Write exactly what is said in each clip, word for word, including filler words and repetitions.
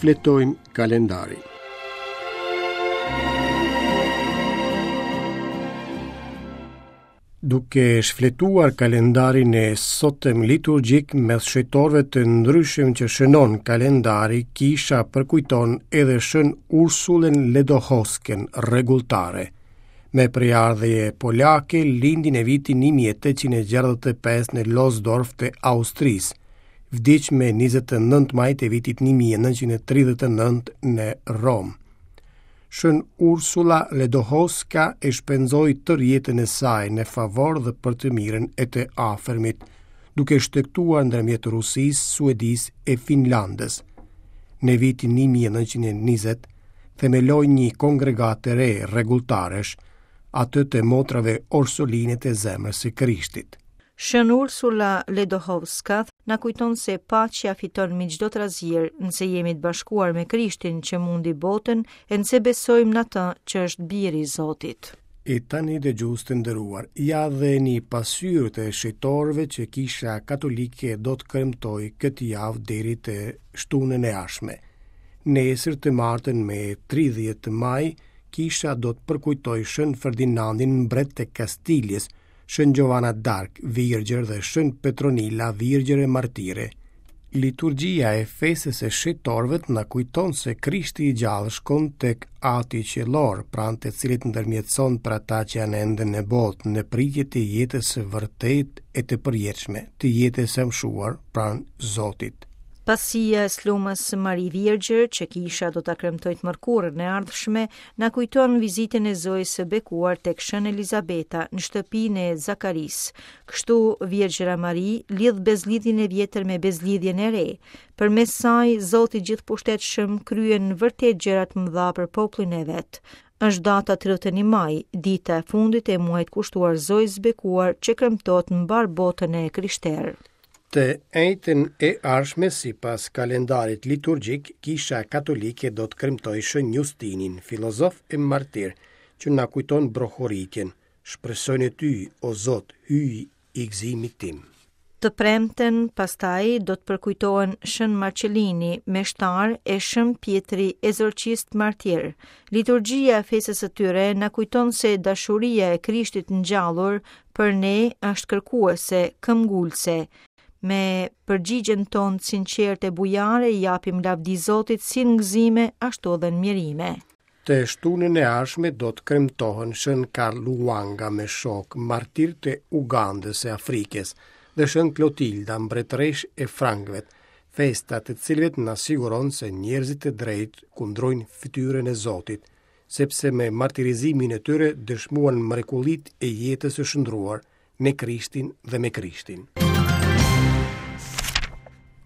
Shfletojmë kalendarin. Duke shfletuar kalendarin e sotëm liturgjik mes shenjtorëve të ndryshëm që shënon kalendari, kisha përkujton edhe Shën Ursulën Ledohosken, rregulltare. Me prejardhje polake, lindi në vitin një mijë e tetëqind e gjashtëdhjetë e pesë në Losdorf të Austrisë. Vdiq me njëzet e nëntë maj të vitit një mijë e nëntëqind e tridhjetë e nëntë në Romë. Shën Ursula Ledohoska e shpenzoi tërë jetën e saj në favor dhe për të mirën e të afërmit, duke shtegtuar ndërmjet Rusisë, Suedisë e Finlandës. Në vitin një mijë e nëntëqind e njëzet, themeloi një kongregatë të re rregulltaresh, atë të motrave Orsoline të Zemrës së Krishtit. Shën Ursula Ledohovska na kujton se paqja fiton mbi çdo trazirë, nëse jemi të bashkuar me Krishtin që mundi botën e nëse besojmë në atë që është biri i Zotit. E tani dëgjues të nderuar, ja dhe një pasqyrë të shenjtorëve që Kisha Katolike do të kremtojë këtë javë deri të shtunën e ardhshme. Nesër të martën me tridhjetë maj, Kisha do të përkujtojë Shën Ferdinandin, mbret të Kastiljes, Shën Giovanna d'Arc, virgjër dhe Shën Petronila, virgjër e martire. Liturgjia e festës së shenjtorëve na kujton se Krishti i gjallë shkon tek Ati Qiellor, pranë të cilit ndërmjetëson për ata që janë ende në botë, në pritje të jetës së vërtetë e të përjetshme, të jetës së amshuar pranë Zotit. Pasia e Slumës Mari Virgjër, që kisha do ta kremtojë të mërkurën e ardhshme, na kujton vizitën e Zojës së Bekuar tek Shën Elizabeta në shtëpinë e Zakarisë. Kështu Virgjëra Mari lidh bezlidhjen e vjetër me bezlidhjen e re. Përmes saj Zoti gjithpushtetshëm kryen vërtet gjëra të mëdha për popullin e vet. Është data tridhjetë e një maj, dita e fundit e muajit kushtuar Zojës së Bekuar që kremtohet në mbar botën e krishterë. Të enjten e ardhshme, sipas kalendarit liturgjik, Kisha Katolike do të kremtojë Shën Justinin, filozof e martir, që na kujton brohoritjen. Shpresoj në ty, o Zot, hyj i gëzimit tim. Të premten, pastaj, do të përkujtohen Shën Marcelini, meshtar, e Shën Pjetri, ezorcist martir. Liturgjia e festës së tyre na kujton se dashuria e Krishtit ngjallur për ne është kërkuese, këmbgulse. Me përgjigjen tonë sinqerte e bujare i japim lavdi Zotit si në gëzime, ashtu edhe në mjerime. Të shtunën e ardhshme do të kremtohen Shën Karl Luanga me shok, martir të Ugandës e Afrikës, dhe Shën Klotilda, mbretëresh e Frankëve, festa të cilëve na siguron se njerëzit e drejtë kundrojnë fytyrën e Zotit, sepse me martirizimin e tyre dëshmuan mrekullitë e jetës së shndruar në Krishtin dhe me Krishtin.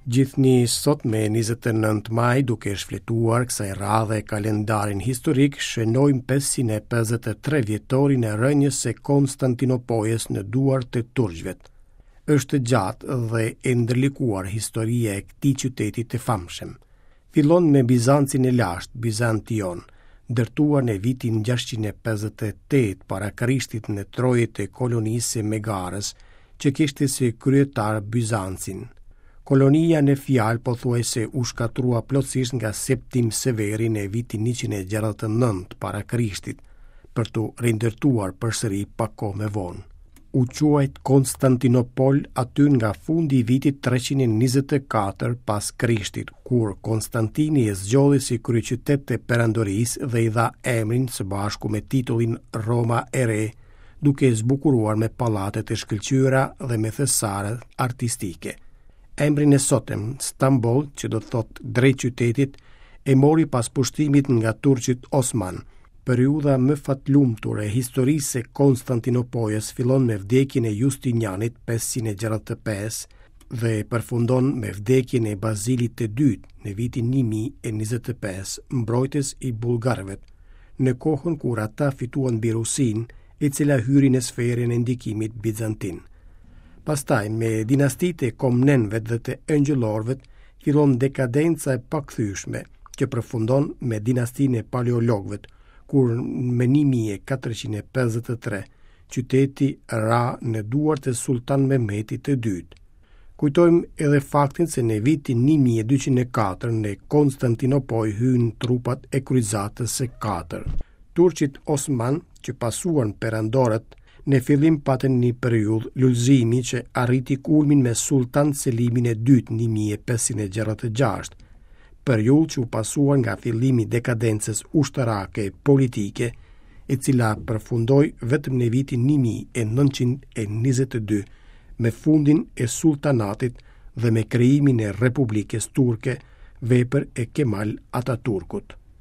Gjithnjë sot me njëzet e nëntë maj, duke shfletuar kësaj radhe kalendarin historik, shënojmë pesëqind e pesëdhjetë e tre vjetorin e rënjes së Konstantinopojës në duar të turqve. Është gjatë dhe e ndërlikuar historia e këtij qyteti të famshëm. Fillon me Bizancin e lashtë, Bizantion, ndërtuar në vitin gjashtëqind e pesëdhjetë e tetë para Krishtit në trojet e kolonisë së Megarës, që kishte si kryetar Bizancin. Kolonia në fjalë pothuajse u shkatrua plotësisht nga Septim Severi në vitin njëqind e gjashtëdhjetë e nëntë para Krishtit, për t'u rindërtuar përsëri pak kohë më vonë. U quajt Konstantinopol aty nga fundi i vitit treqind e njëzet e katër pas Krishtit, kur Konstantini e zgjodhi si kryeqytet të perandorisë dhe i dha emrin së bashku me titullin Roma e Re, duke e zbukuruar me pallate të shkëlqyera dhe me thesare artistike. Emrin e sotëm, Stamboll, që do të thotë drejt qytetit, e mori pas pushtimit nga turqit Osman. Periudha më fatlumtur e historisë së Konstantinopojës fillon me vdekjen e Justinianit pesëqind e gjashtëdhjetë e pesë dhe përfundon me vdekjen e Bazilit të dytë në vitin një mijë e njëzet e pesë, mbrojtës i bullgarëve, në kohën kur ata fituan mbi Rusinë, e cila hyri në sferën e ndikimit bizantin. Pastaj, me dinastitë e Komnenëve dhe të Engjëllorëve, fillon dekadenca e pakthyeshme, që përfundon me dinastinë e Paleologëve, kur më një mijë e katërqind e pesëdhjetë e tre qyteti ra në duart e Sultan Mehmetit të dytë. Kujtojmë edhe faktin se në vitin një mijë e dyqind e katër në Konstantinopojë hynë trupat e kryqëzatës së katër. Turqit osman që pasuan perandorët në fillim patën një periudhë lulëzimi që arriti kulmin me Sultan Selimin e dytë një mijë e pesëqind e gjashtëdhjetë e gjashtë, periudhë që u pasua nga fillimi i dekadencës ushtarake e politike, e cila përfundoi vetëm në vitin një mijë e nëntëqind e njëzet e dy me fundin e sultanatit dhe me krijimin e Republikës Turke, vepër e Kemal Ataturkut.